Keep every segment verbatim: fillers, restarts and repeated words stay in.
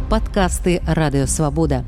Падкасты Радыёвабода.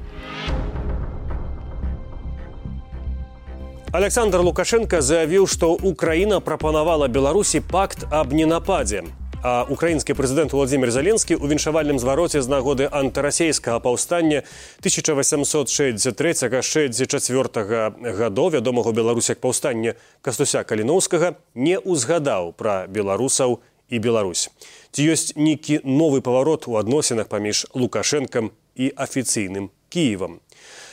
Александр Лукашенко заявіў, што Украіна прапанавала Беларусі пакт аб ненападзе. А украінскі прэзідэнт Владзімір Зеленскі ў віншавальным звароце з нагоды антырасейскага паўстання тысяча васямсот шэсцьдзесят трэцяга - шэсцьдзесят чацвёртага гадоў, вядомага ў Беларусі як паўстання Кастуся Каліноўскага, не ўзгадаў пра беларусаў і Беларусь. Ці ёсць нейкі новы паварот у адносінах паміж Лукашэнкам і афіцыйным Кіевам?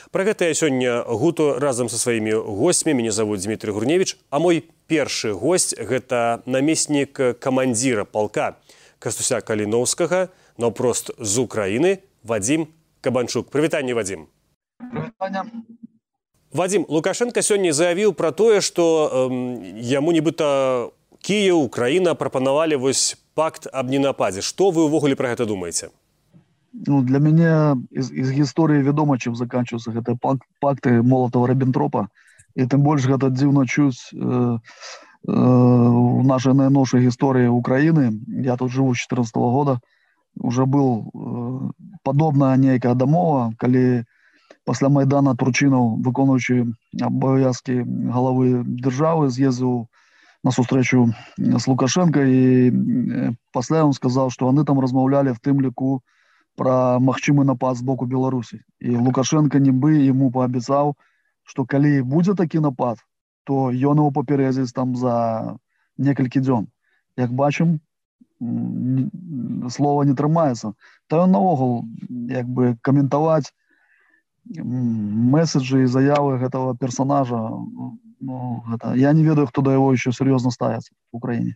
Пра гэта я сёння гуту разам са сваімі госцьмі. Мяне завуць Дмітрый Гурневіч, а мой першы госць – гэта намеснік камандзіра палка Кастуся Каліноўскага, наўпрост з Украіны, Вадзім Кабанчук. Прывітанне, Вадзім. Прывітанне. Вадзім, Лукашенко сёння заявіў пра тое, што эм, яму нібыта Кіеў, Украіна прапанавалі вось пакт аб ненападзе. Што вы ўвогуле пра гэта думаеце? Ну, для меня из, из гісторыі вядома, чым заканчиваются гэтыя пак, пакты Молотова-Риббентропа. І тым больш гэта дзіўна чуць э, э, в нашай найноўшай гісторыі Украіны. Я тут живу з чатырнаццатого года. Уже был э, падобная нейкая дамова, калі пасля Майдана Турчынаў, выконуючы абавязкі галавы дзяржавы, з'ездзіў на сустрэчу з Лукашенко, і э, пасля ён сказаў, што яны там размаўлялі в тым ліку про магчымы напад з боку Беларусі. І Лукашенко нібы яму паабяцаў, што калі будзе такі напад, то ён его папярэдзіць там за некалькі дзён. Як бачым, слова не трымаецца. Та ён наогул як бы каментаваць месседжы і заявы гэтага персонажа, ну, гэта, я не ведаю, хто да яго еще сур'ёзна ставіцца в Украіне.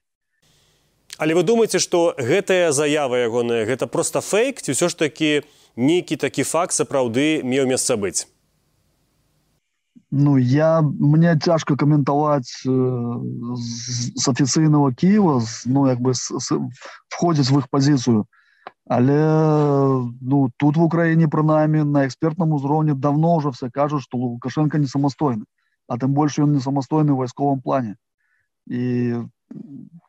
Але вы думаеце, што гэтая заява ягоная, гэта проста фейк, ці ўсё ж такі нейкі такі факт сапраўды меў месца быць? Ну, я, мне цяжка каментаваць э, з, з афіцыйнага Кіева, з, ну, як бы с, с, входзіць в іх пазіцыю. Але ну, тут в Украіне, прынамсі, на экспертным узроўні давно ўжо все кажуць, што Лукашенко не самастойны, а тым больш ён не самастойны ў вайсковым плане. І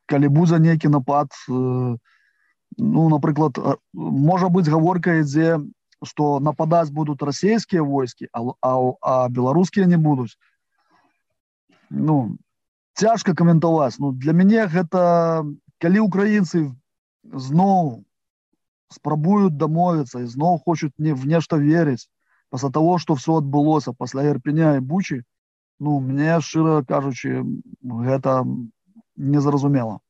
калі будзе нейкі напад, ну, напрыклад, можа быць гаворка ідзе, што нападаць будуць расійскія войскі, а, а, а беларускія не будуць. Ну, цяжка каментаваць. Ну, для мяне гэта, калі украінцы зноў спрабуюць дамовіцца і зноў хочуць не, в нешта верыць, пасля таго, што ўсё адбылося пасля Ірпеня і Бучы, ну, мне, шчыра кажучы, гэта незразумела.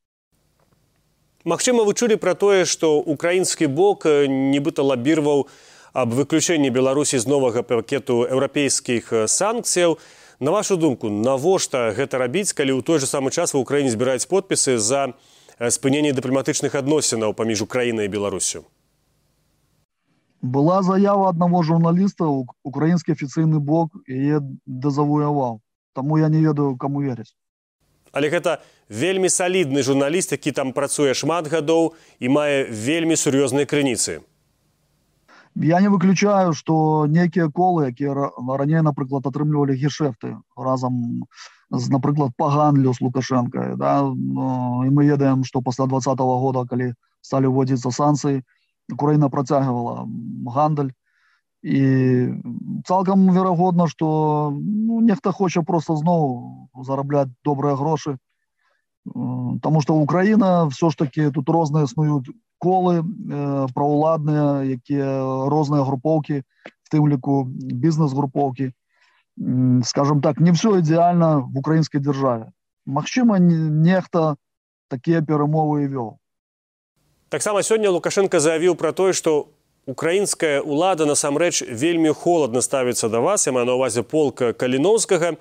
Магчыма, вы чулі пра тое, што украінскі бок нібыта лабіраваў аб выключэнні Беларусі з новага пакету еўрапейскіх санкцыяў. На вашу думку, навошта гэта рабіць, калі ў той жа самы час ва Ўкраіне збіраюць подпісы за спыненне дыпламатычных адносінаў паміж Украінай і Беларусю? Была заява аднаго журналіста, украінскі афіцыйны бок яе дазавояваў. Таму я не ведаю, каму верыць. Але гэта вельмі салідны журналіст, які там працуе шмат гадоў і мае вельмі сур'ёзныя крыніцы. Я не выключаю, што нейкія колы, якія раней, напрыклад, атрымлівалі гешэфты разам з, напрыклад, па гандлю з Лукашенко. Да? І мы ведаем, што пасля двадцатого года, калі сталі ўводзіцца санкцыі, Украіна працягвала гандаль. І цалкам верагодна, што ну, нехта хоча проста зноў зарабляць добрыя грошы. Таму што Украіна ўсё ж такі тут розныя існуюць колы, э, праўладныя, якія розныя групоўкі, в тым ліку бізнес-групоўкі. Скажем так, не ўсё ідэальна в украінскай дзяржаве. Магчыма, нехта такія перамовы і вёў. Таксама сёння Лукашенко заявіў пра тое, што украінская ўлада насамрэч вельмі холадна ставіцца да вас, я маю на ўвазе полка Каліноўскага.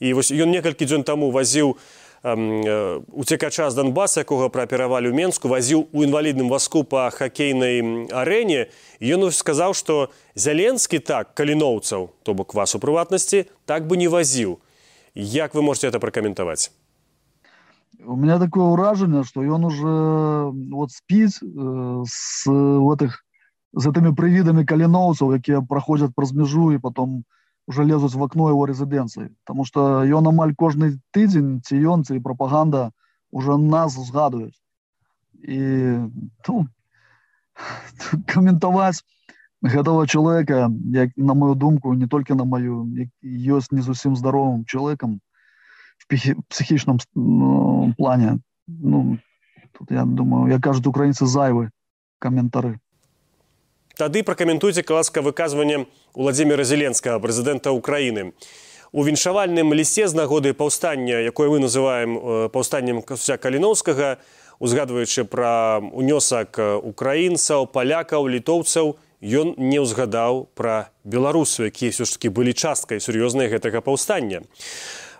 І вось ён некалькі дзён таму вазіў уцекача з Донбаса, якога прааперавалі ў Менску, вазіў у інвалідным вазку па хакейнай арэне. І ён сказаў, што Зеленскі так каліноўцаў, то бок вас у прыватнасці, так бы не вазіў. Як вы можете это пракаментаваць? У меня такое ўражанне, што ён уже вот спіць э, с, этих, з этими прывідамі каліноўцаў, якія праходзяць праз мяжу і потом уже лезуць в окно его резиденции. Потому что ён амаль кожны тыдзень, ці ён, ці пропаганда уже нас згадуюць. І ну, каментаваць гэтага чалавека, як, на мою думку, не толькі на маю, ёсць не зусім здаровым чалавекам в психічным ну, плане. Ну, тут, я думаю, як кажуць украінцы, зайвы каментары. Тады пракаментуйце, ласка, выказванне Уладзіміра Зеленскага, прэзідэнта Украіны. У віншавальным лісце з нагоды паўстання, якое мы называем паўстаннем Касця Каліноўскага, узгадваючы пра унёсак украінцаў, палякаў, літоўцаў, ён не ўзгадаў пра беларусаў, якія ўсё ж такі былі часткай сур'ёзнай гэтага паўстання.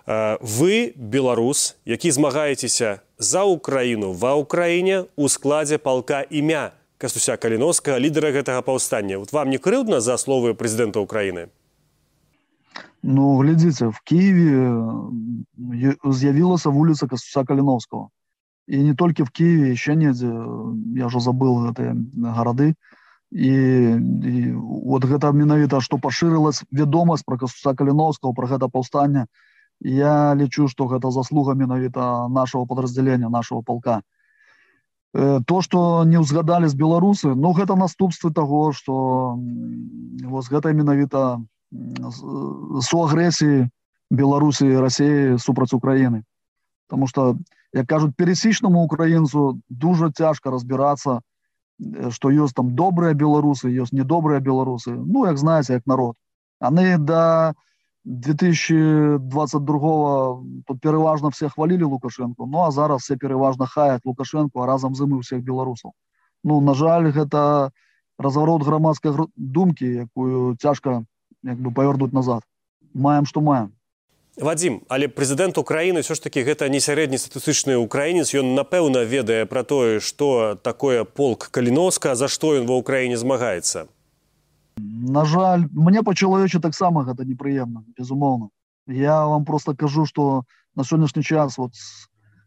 Вы, беларус, які змагаецеся за Украіну ва Ўкраіне ў складзе палка імя Кастуся Каліноўскага, лідара гэтага паўстання. Вот вам не крыўдна за словы прэзідэнта Украіны? Ну, глядзіце, в Киеве з'явілася вуліца Кастуся Каліноўскага. І не толькі в Киеве, еще недзе, я ўжо забыл гэтыя гарады. І, і вот гэта менавіта, што пашырылась вядомасць пра Кастуся Каліноўскага, пра гэта паўстання. Я лічу, што гэта заслуга менавіта нашего подразделения, нашего полка. То, што не ўзгадалі з беларусы, ну, гэта наступствы таго, што вось гэта менавіта суагрэсіі Беларусі і Расіі супраць Украіны. Таму што, як кажуць, пересечнаму украінцу дуже цяжка разбірацца, што ёсць там добрыя беларусы, ёсць недобрыя беларусы. Ну, як знаеце, як народ. Яны да две тысячи двадцать другого тут пераважна все хвалили Лукашенко, ну а зараз все пераважна хаяць Лукашенко, а разам з ім і ўсіх беларусаў. Ну, на жаль, гэта разварот грамадскай думкі, якую цяжка як бы павярнуць назад. Маем, што маем. Вадзім, але прэзідэнт Украіны ўсё ж такі гэта не сярэднестатыстычны украінец, ён напэўна ведае пра тое, што такое полк Каліноўскага, за што ён ва Ўкраіне змагаецца. На жаль, мне па-чалавечы таксама гэта непрыемна, безумоўна. Я вам просто кажу, што на сённяшні час, вот,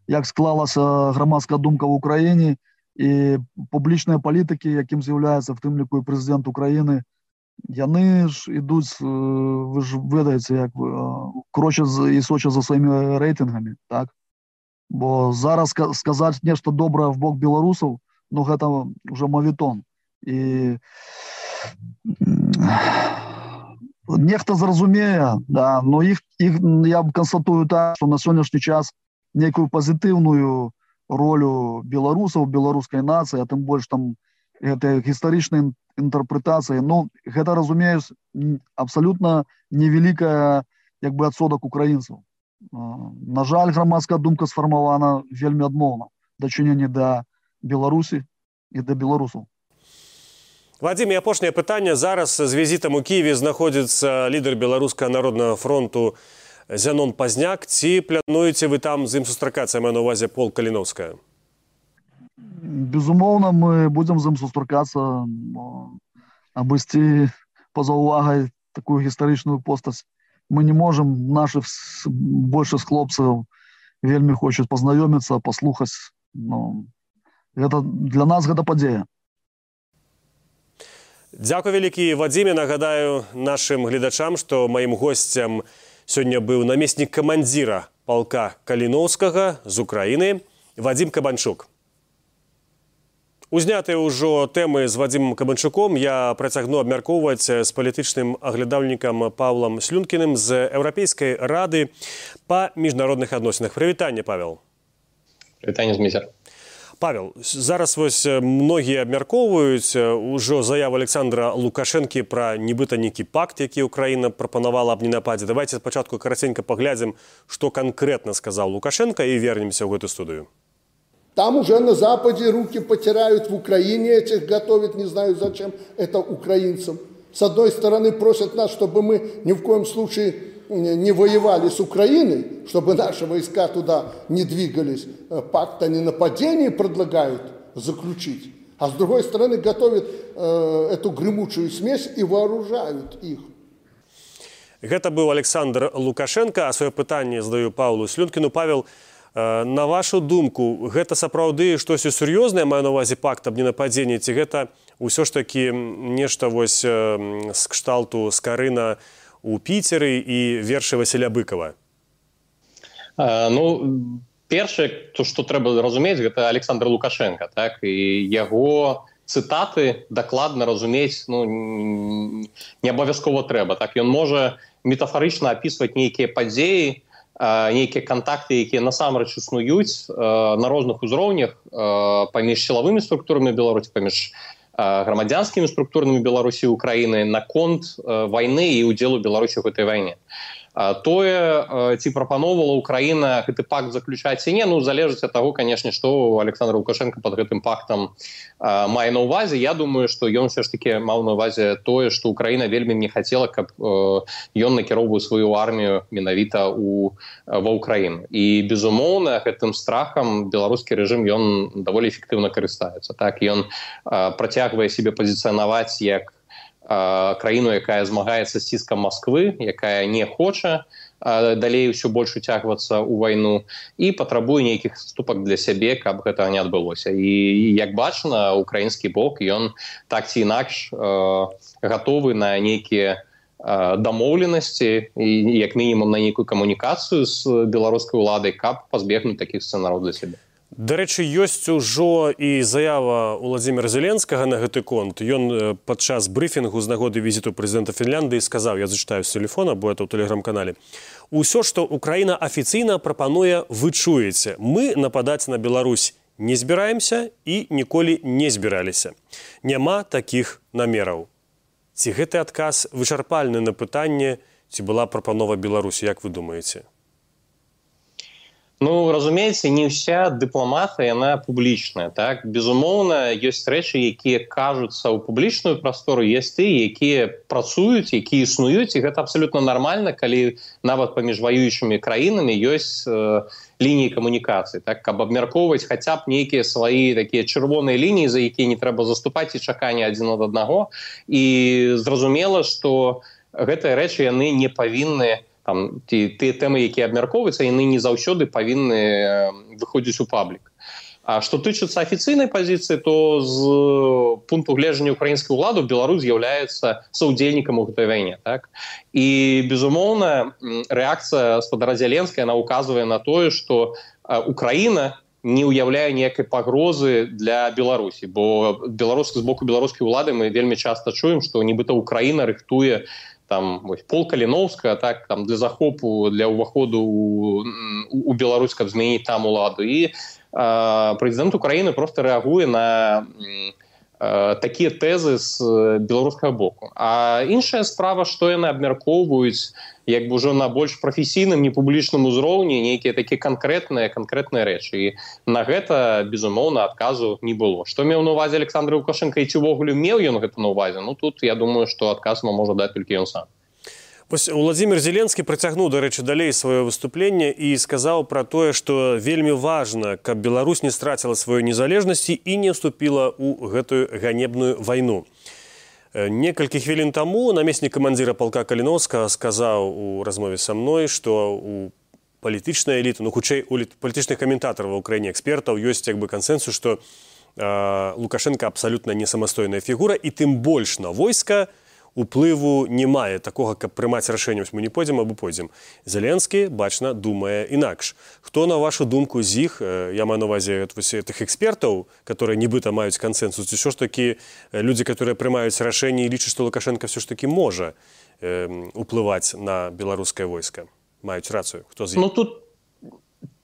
як склалася грамадская думка в Украіне і публічныя палітыкі, якім з'яўляецца в тым ліку і прэзідэнт Украіны, яны ж ідуць, вы ж ведаеце, як крочаць і сочаць за сваімі рэйтынгамі, так? Бо зараз сказаць нешта добрае в бок беларусаў, ну гэта ўжо мавітон. І нехта зразумее, да, но іх, іх я констатую так, што на сённяшні час некую пазітыўную ролю беларусаў, беларускай нацыі, а тым больш там гэта гістарычная інтэрпрэтацыя, ну, гэта, разумеюць, абсалютна невялікая, як бы, адсотак украінцаў. На жаль, грамадская думка сфармавана вельмі адмоўна дачыненне да Беларусі і да беларусаў. Вадзім, і апошняе пытанне. Зараз з візітам у Киеве знаходзіцца лідар Беларускага народнага фронту Зянон Пазняк. Ці плануеце вы там з ім сустракацца, маю на ўвазе полк Каліноўскага? Безумоўна, мы будзем з ім сустракацца, абысці па-за ўвагай такую гістарычную постаць. Мы не можам, нашых большых хлопцаў вельмі хочуць пазнаёміцца, паслухаць. Ну, гэта, для нас гэта падзея. Дзякуй вялікі, Вадзіме. Нагадаю нашым гледачам, што маім госцем сёння быў намеснік камандзіра палка Каліноўскага з Украіны Вадзім Кабанчук. Узнятыя ўжо тэмы з Вадзімам Кабанчуком я працягну абмяркоўваць з палітычным аглядальнікам Павлам Слюнкіным з Еўрапейскай рады па міжнародных адносінах. Прывітанне, Павел. Прывітанне, Зміцер. Павел, зараз вось многія абмяркоўваюць ужо заяву Александра Лукашэнкі пра нібыта нейкі пакт, які Украіна прапанавала аб ненападзе. Давайте спачатку караценька паглядзім, што канкрэтна сказаў Лукашенко, і вернемся ў гэту студыю. Там уже на Западе руки потирают, в Украине этих готовят, не знаю зачем, это украинцам. С одной стороны просят нас, чтобы мы ни в коем случае не воевали с Украиной, чтобы наши войска туда не двигались. Пакт о ненападении предлагают заключить. А с другой стороны готовят э, эту гремучую смесь и вооружают их. Гэта быў Александр Лукашенко, а сваё пытанне задаю Павлу Слюнкіну. Павел, на вашу думку, гэта сапраўды штосьці сур'ёзнае, маю на ўвазе пакт аб ненападзенні, ці гэта ўсё ж такі нешта вось з кшталту Скарына у Піцеры і вершы Васіля Быкова? А, ну, першае, то, што трэба разумець, гэта Александр Лукашенко, так, і яго цытаты дакладна разумець ну, не абавязкова трэба. Так, ён можа метафарычна апісваць нейкія падзеі, нейкія кантакты, якія насамрэч існуюць на розных узроўнях паміж сілавымі структурамі Беларусі, паміж грамадзянскімі структурамі Беларусі і Украіны наконт вайны і ўдзелу Беларусі ў гэтай вайне. Тое, ці прапаноўвала Украіна гэты пакт заключаць ці не, ну, залежыць ад таго, канешне, што Александр Лукашенко пад гэтым пактам а, мае на ўвазе. Я думаю, што ён все ж таки маў на ўвазе тое, што Украіна вельмі не хацела, каб э, ён накіроўваў сваю армію менавіта ў, ва Ўкраіну. І, безумоўна, гэтым страхам беларускі рэжым ён даволі эфектыўна карыстаецца. Так, ён э, працягвае сябе пазіцыянаваць як краіну, якая змагаецца з ціскам Масквы, якая не хоча далей ўсё больш уцягвацца ў вайну і патрабуе нейкіх ступак для сябе, каб гэтага не адбылося. І, як бачна, украінскі бок, ён так ці інакш гатовы на нейкія дамоўленасці і, як мінімум, на нейкую камунікацыю з беларускай уладай, каб пазбегнуць такіх сцэнараў для сябе. Дарэчы, ёсць ужо і заява Уладзіміра Зеленскага на гэты конт. Ён падчас брыфінгу з нагоды візіту прэзідэнта Фінляндыі сказаў, я зачытаю з тэлефона, бо это ў тэлеграм-канале: «Усё, што Украіна афіцыйна прапануе, вы чуеце. Мы нападаць на Беларусь не збіраемся і ніколі не збіраліся. Няма такіх намераў». Ці гэты адказ вычарпальны на пытанне, ці была прапанова Беларусі, як вы думаеце? Ну, разумееце, не ўся дыпламатыя, яна публічная. Так? Безумоўна, ёсць рэчы, якія кажуцца ў публічную прастору, ёсць тыя, якія працуюць, якія існуюць, і гэта абсалютна нармальна, калі нават паміж ваюючымі краінамі ёсць э, лініі камунікацыі. Так? Каб абмяркоўваць хаця б нейкія свае такія чырвоныя лініі, за якія не трэба заступаць і чаканне адзін ад аднаго. І зразумела, што гэтыя рэчы яны не павінны там, ті, ті тэмы, які абмяркоўваюцца, яны не заўсёды павінны выходзіць у паблік. А што тычыцца афіцыйнай пазіцыі, то з пункту гледжання украінскай улады Беларусь з'яўляецца саўдзельнікам у гэтай вайне. Так? І, безумоўна, рэакцыя спадара Зеленскага, яна ўказвае на тое, што Украіна не ўяўляе ніякай пагрозы для Беларусі, бо беларус, з боку беларускай улады мы вельмі часта чуем, што нібыта Украіна рыхтуе там вось, пол Каліноўска, так, там, для захопу, для ўваходу у, у Беларусь, каб змяніць там уладу. І э, прэзідэнт Украіны проста рэагуе на э, такія тэзы з беларускага боку. А іншая справа, што яны абмяркоўваюць як бы ўжо на больш прафесійным, непублічным узроўні нейкія такія канкрэтныя канкрэтныя рэчы. І на гэта, безумоўна, адказу не было. Што меў на ўвазе Александр Лукашенко і ці ўвогуле меў ён гэта на ўвазе? Ну, тут, я думаю, што адказ нам можа даць толькі ён сам. Вось Уладзімір Зеленскі працягнуў, дарэчы, далей сваё выступленне і сказаў пра тое, што вельмі важна, каб Беларусь не страціла сваёй незалежнасці і не вступіла ў гэтую ганебную вайну. Некалькі хвілін таму намеснік камандзіра палка Каліноўскага сказаў у размове са мной, што у палітычнай эліты, ну, хутчэй, у палітычных каментатараў ва ўкраіне, экспертаў, ёсць як бы кансэнсус, што э, Лукашенко абсалютна не самастойная фігура, і тым больш на войска уплыву не мае такога, каб прымаць рашэнне, мы не пойдзем або пойдзем. Зеленскі, бачна, думае інакш. Хто, на вашу думку, з іх, я маю на ўвазе тых экспертаў, которые нібыта маюць кансэнсус, ці ўсё ж такі людзі, которые прымаюць рашэнне і лічаць, што Лукашенко все ж такі можа э, уплываць на беларускае войска? Маюць рацыю. Хто з іх? Ну, тут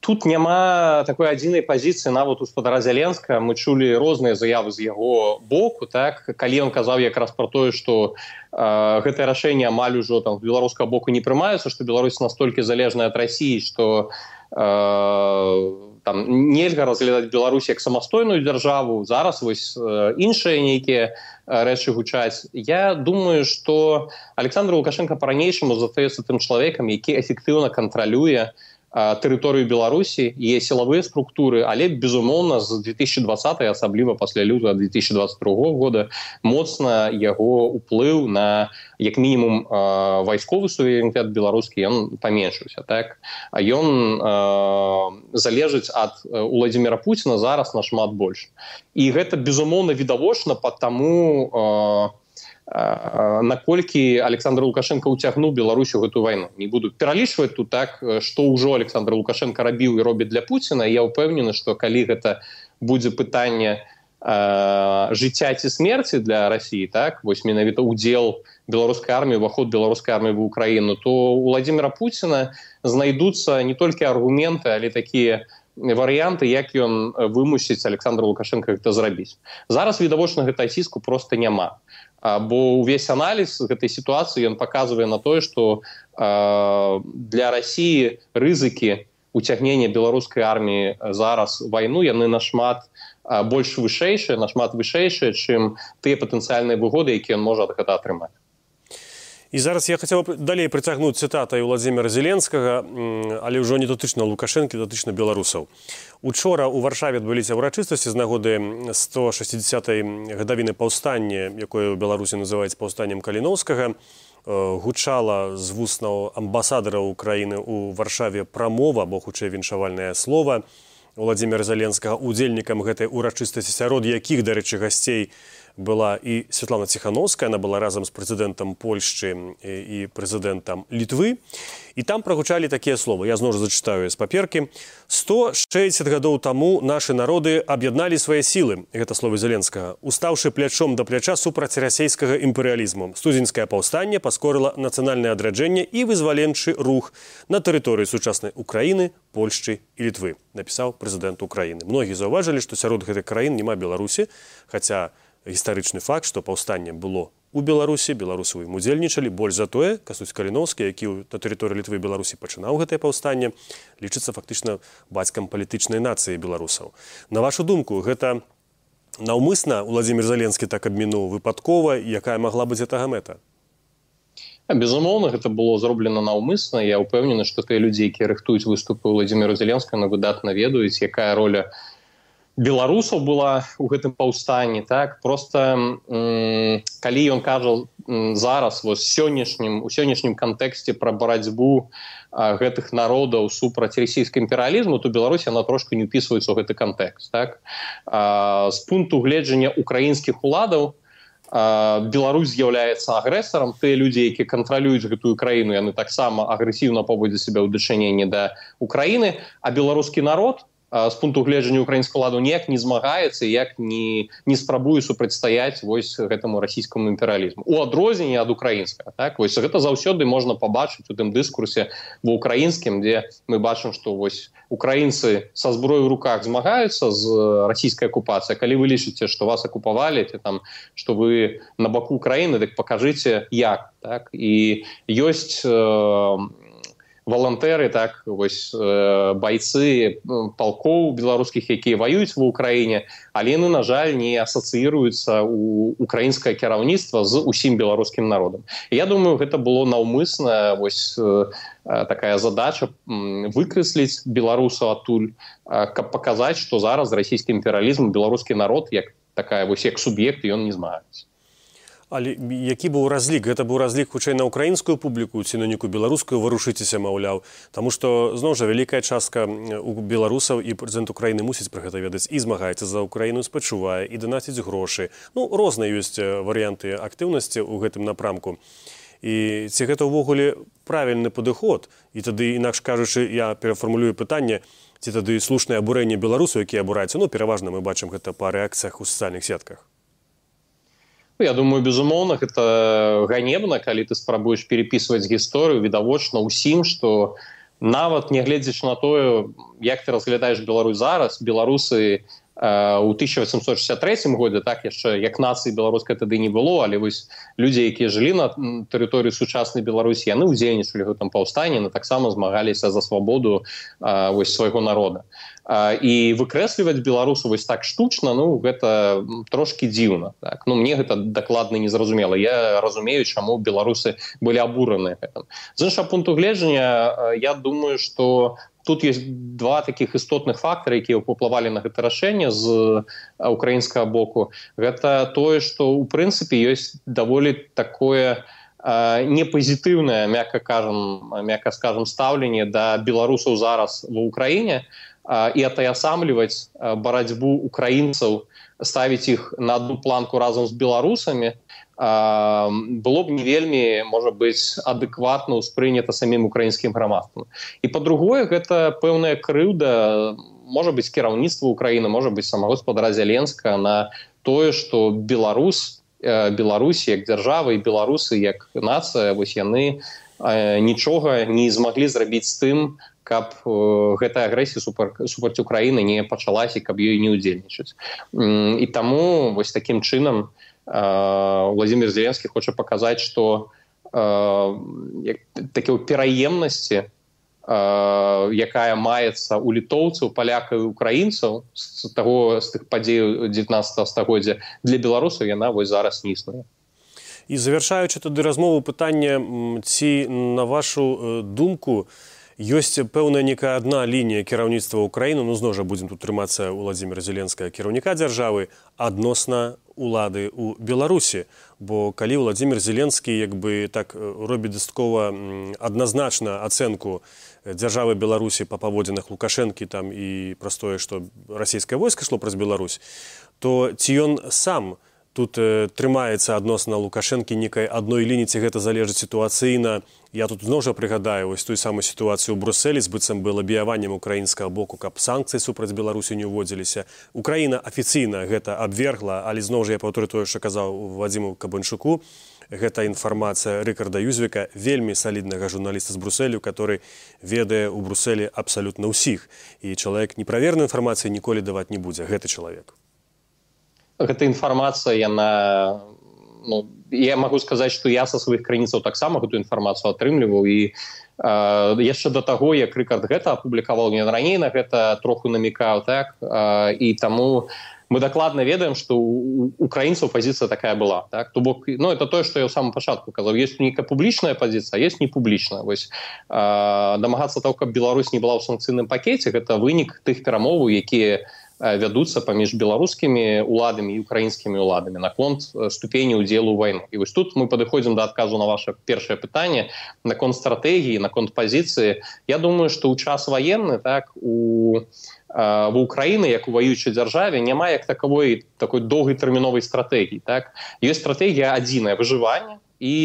Тут няма такой адзінай пазіцыі нават у спадара Зеленскага. Мы чулі розныя заявы з яго боку. Так? Калі ён казаў якраз пра тое, што э, гэтае рашэнне амаль ужо там, з беларускага боку не прымаецца, што Беларусь настолькі залежная ад Расіі, што э, там, нельга разглядаць Беларусь як самастойную дзяржаву. Зараз вось э, іншыя нейкія рэчы гучаць. Я думаю, што Александр Лукашенко па-ранейшаму застаецца тым чалавекам, які эфектыўна кантралюе тэрыторыю Беларусі, є сілавыя структуры, але, безумоўна, з две тысячи двадцатага, асабліва пасля лютага две тысячи двадцать другога года, моцна яго ўплыў на, як мінімум, вайсковы суверэнітэт беларускі, ён паменшыўся. Так? А ён э, залежыць ад Уладзіміра Пуціна зараз нашмат больш. І гэта, безумоўна, відавочна па таму, э, наколькі Александр Лукашенко ўцягнуў Беларусь у гэтую вайну. Не буду пералічваць тут так, што ўжо Александр Лукашенко рабіў і робіць для Пуціна. Я ўпэўнены, што калі гэта будзе пытанне э, жыцця ці смерці для России, так, вось менавіта удзел беларускай арміі, уваход беларускай арміі в Украіну, то у Владимира Путина знайдуцца не толькі аргументы, але такія варыянты, як ён вымусіць Александра Лукашенко гэта зрабіць. Зараз відавочна гэта ціску просто няма. Бо увесь аналіз гэтай сітуацыі ён паказвае на тое, што э, для России рызыкі уцягнення беларускай арміі зараз вайну яны нашмат э, больш вышэйшыя, нашмат вышэйшыя, чым тыя патэнцыяльныя выгоды, якія ён можа ад гэта атрымаць. І зараз я хацеў далей прыцягнуць цытатай Владзіміра Зеленскага, але ўжо не датычна Лукашэнкі, датычна беларусаў. Учора ў Варшаве адбыліся ўрачыстасці з нагоды сто шэсцідзясятай гадавіны паўстання, якое ў Беларусі называецца паўстаннем Каліноўскага. Гучала з вуснаў амбасадара Украіны ў Варшаве прамова, або хутчэй віншавальнае слова Владзіміра Зеленскага, удзельнікам гэтай урачыстасці, сярод якіх, дарэчы, гасцей была і Святлана Ціхановская, она была разам з прэзідэнтам Польшчы і прэзідэнтам Літвы. І там прагучалі такія словы, я зноў жа зачытаю з паперкі. сто шэсцьдзесят гадоў таму нашы народы аб'ядналі свае сілы, гэта словы Зеленскага, устаўшы плячом да пляча супраць расейскага імперыялізму. Студзеньскае паўстанне паскорыла нацыянальнае адраджэнне і вызваленчы рух на тэрыторыі сучаснай Украіны, Польшчы і Літвы, напісаў прэзідэнт Украіны. Многія заўважылі, што сярод гэтых краін няма Беларусі, хаця гістарычны факт, што паўстанне было у Беларусі, беларусы ў ім удзельнічалі. Больш за тое, Кастусь Каліноўскі, які на тэрыторыі Літвы і Беларусі пачынаў гэтае паўстанне, лічыцца фактычна бацькам палітычнай нацыі беларусаў. На вашу думку, гэта наўмысна Владзімір Зеленскі так абмінуў, выпадкова, якая магла быць гэтага мэта? Безумоўна, гэта было зроблена наўмысна. Я ўпэўнены, што тыя людзі, якія рыхтуюць выступы Владзіміра Зеленскага, выдатна ведаюць, якая роля беларусаў была ў гэтым паўстанні, так, просто м, калі ён кажа м, зараз вось сённяшнім у сённяшнім кантэксце пра барацьбу а, гэтых народаў супраць расійскага імперыялізму, то Беларусь яна трошку не ўпісваецца ў гэты кантэкст, так. А, з пункту гледжання украінскіх уладаў а, Беларусь з'яўляецца агрэсарам. Тыя людзі, якія кантралююць гэтую краіну, яны таксама агрэсіўна паводзяць сябе ў дачыненні да Украіны, а беларускі народ з пункту гледжання украінскага ладу ніяк не змагаецца, як не, не спрабуе супрацьстаяць вось гэтаму расійскаму імперыялізму. У адрозненні ад украінскага. Так? Вось гэта заўсёды можна пабачыць у тым дыскурсе ва ўкраінскім, дзе мы бачым, што вось украінцы са зброёй у руках змагаюцца з расійскай акупацыяй. Калі вы лічыце, што вас акупавалі, ці там, што вы на баку Украіны, дык пакажыце як. Так? І ёсць э, волонтери, так, ось бойцы полков беларускіх, якія воююць ва Украіне, але яны, на жаль, не асацыіруюцца у украінскае кіраўніцтва з усім беларускім народам. І я думаю, гэта было наўмысна, вось такая задача выкрэсліць беларусаў адтуль, каб паказаць, што зараз расійскі імперыялізм, беларускі народ, як такая вось як суб'ект, ён не змагаецца. Але які быў разлік? Гэта быў разлік хутчэй на украінскую публіку ці на нейкую беларускую, варушыцеся, маўляў. Таму што, зноў жа, вялікая частка у беларусаў і прэзідэнт Украіны мусіць пра гэта ведаць і змагаецца за Украіну, спачувае і данаціць грошы. Ну, розныя ёсць варыянты актыўнасці ў гэтым напрамку. І ці гэта ўвогуле правільны падыход? І тады, інакш кажучы, я перафармулюю пытанне, ці тады слушнае абурэнне беларусаў, якія абураюцца? Ну, пераважна мы бачым гэта па рэакцыях у сацыяльных сетках. Я думаю, безумоўна, гэта ганебна, калі ты спрабуеш перепісваць гісторыю, відавочна ўсім, што нават нягледзячы на тое, як ты разглядаеш Беларусь зараз, беларусы у тысяча восемьсот шестьдесят третьем годзе, так, яшчэ як нацыі беларускай тады не было, але вось людзі, якія жылі на тэрыторыі сучаснай Беларусі, яны ўдзельнічалі ў гэтым паўстанні, яны таксама змагаліся за свабоду вось свайго народа. І выкрэсліваць беларусу вось так штучна, ну, гэта трошкі дзіўна. Так? Ну, мне гэта дакладна не зразумела. Я разумею, чаму беларусы былі абураныя гэтым. З іншага пункту гледжання, я думаю, што тут есть два таких істотных фактары, якія паўплывалі на гэта рашэнне з украінскага боку. Гэта тое, што ў прынцыпе ёсць даволі такое непазітыўнае, мякка кажам, мякка скажам, стаўленне да беларусаў зараз ва Ўкраіне, і атаясамліваць барацьбу украінцаў, ставіць іх на одну планку разам з беларусамі, было б не вельмі, можа быць, адэкватна ўспрынята самім украінскім грамадствам. І па-другое, гэта пэўная крыўда можа быць кіраўніцтва Украіны, можа быць сама гаспадара Зеленскага на тое, што Беларусь, Беларусь як дзяржава і беларусы як нацыя, вось яны нічога не змаглі зрабіць з тым, каб гэтая агрэсія супраць Украіны не пачалася, каб ёй не ўдзельнічаць. І таму вось такім чынам Владзімір Зеленскі хоча паказаць, што такія пераемнасці, якая маецца ў літоўцаў, палякаў і украінцаў з таго з тых падзей дзевятнаццатага стагоддзя, для беларусаў яна вось зараз не існуе. І завяршаючы тады размову, пытанне, ці на вашу думку ёсць пэўная некая адна лінія кіраўніцтва Украіны, ну зноў жа будзем тут трымацца Владзіміра Зеленскага, кіраўніка дзяржавы, адносна улады ў Беларусі. Бо калі Владзімір Зеленскі як бы так робіць дастаткова адназначна ацэнку дзяржавы Беларусі па паводзінах Лукашэнкі там і праз тое, што расійскае войска ішло праз Беларусь, то ці ён сам тут э, трымаецца адносна Лукашэнкі некай адной лініі, ці гэта залежыць сітуацыйна. Я тут зноў жа прыгадаю вось тую самую сітуацыю ў Брусэлі з быццам бы лабіяваннем украінскага боку, каб санкцыі супраць Беларусі не ўводзіліся. Украіна афіцыйна гэта абвергла, але зноў жа я паўторю тое, што казаў Вадзіму Кабанчуку. Гэта інфармацыя Рыкарда Юзвіка, вельмі саліднага журналіста з Брусэлю, который ведае ў Брусэлі абсалютна ўсіх. І чалавек неправернай інфармацыі ніколі даваць не будзе, гэты чалавек. Гэта інфармацыя, яна, ну, я магу сказаць, што я са сваіх крыніцаў таксама гэту інфармацыю атрымліваў, і э, яшчэ да таго, як Рыкард гэта апублікаваў, ён раней на гэта троху намікаў, так, э, і таму мы дакладна ведаем, што у украінцаў пазіцыя такая была, так, то бок, ну, это тое, што я ў самым пачатку казаў, ёсць нейкая публічная пазіцыя, а ёсць непублічная, вось, э, дамагацца таго, каб Беларусь не была ў санкцыйным пакеце, гэта вынік тых перамоваў, якія вядуцца паміж беларускімі уладамі і украінскімі уладамі наконт ступені ўдзелу ў вайну. І вось тут мы падыходзім да адказу на ваше першае пытанне наконт стратэгіі, наконт пазіцыі. Я думаю, што ў час ваенны, так, у в Украіны, як у ваюючай дзяржаве, няма як такой такой доўгатэрміновай стратэгіі, так. Ёсць стратэгія адзіная — выжыванне і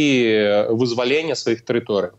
вызвалення сваіх тэрыторый.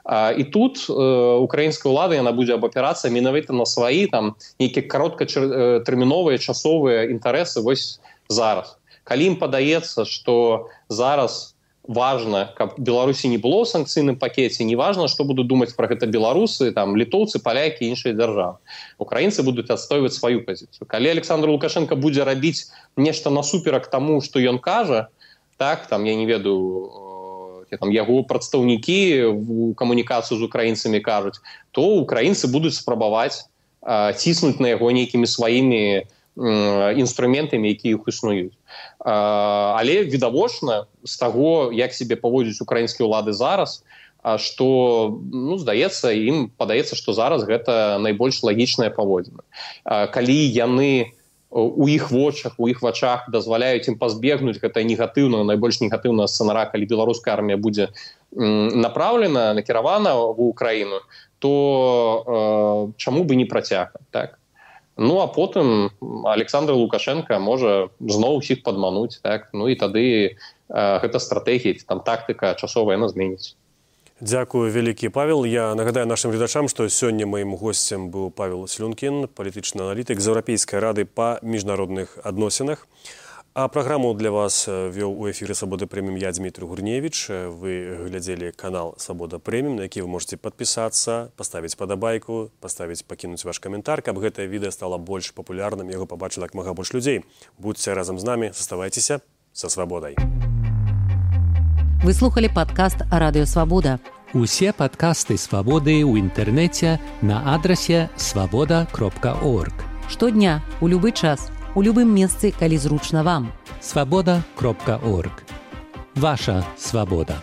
І тут украінская ўлада, яна будзе абапірацца менавіта на сваі там нейкія кароткатэрміновыя часовыя інтарэсы вось зараз. Калі ім падаецца, што зараз важна, каб Беларусі не было ў санкцыйным пакеце, не важна, што будуць думаць пра гэта беларусы, там літоўцы, палякі і іншыя дзяржавы. Украінцы будуць адстойваць сваю пазіцыю. Калі Александр Лукашенко будзе рабіць нешта насуперак таму, што ён кажа, так, там, я не ведаю, там, яго прадстаўнікі у камунікацыю з украінцамі кажуць, то украінцы будуць спрабаваць а, ціснуць на яго нейкімі сваімі інструментамі, якія іх існуюць. А, але відавочна з таго, як сябе паводзяць украінскія ўлады зараз, а, што, ну, здаецца, ім падаецца, што зараз гэта найбольш лагічнае паводзіны. А, калі яны у іх вочах, у іх вачах дазваляюць ім пазбегнуць гэта негатыўна, найбольш негатыўнага сцэнара, калі беларуская армія будзе направлена, накіравана в Украіну, то э, чаму бы не працягваць, так? Ну, а потым Александр Лукашенко можа зноў усіх падмануць, так? Ну, і тады э, гэта стратэгія, там тактыка часовая, яна зменіць. Дзякую вялікі, Павел. Я нагадаю нашим гледачам, што сёння маім госцем быў Павел Слюнкін, палітычны аналітык з Еўрапейскай рады па міжнародных адносінах. А праграму для вас вёў у эфіры «Свабода Прэміум» я, Дмітрий Гурневіч. Вы глядзелі канал «Свабода Прэміум», на які вы можете падпісацца, паставіць падабайку, паставіць, пакінуць ваш каментар, каб гэтае відэа стала больш папулярным, яго пабачыла як мага больш людзей. Будьце разам з намі, заставайцеся са свабодай. Вы слухали падкаст «Радыё Свабода». Усе падкасты «Свабоды» ў інтэрнэце на адрасе свабода кропка орг. Штодня, у любы час, у любым месцы, калі зручна вам. свабода кропка орг. Ваша свабода.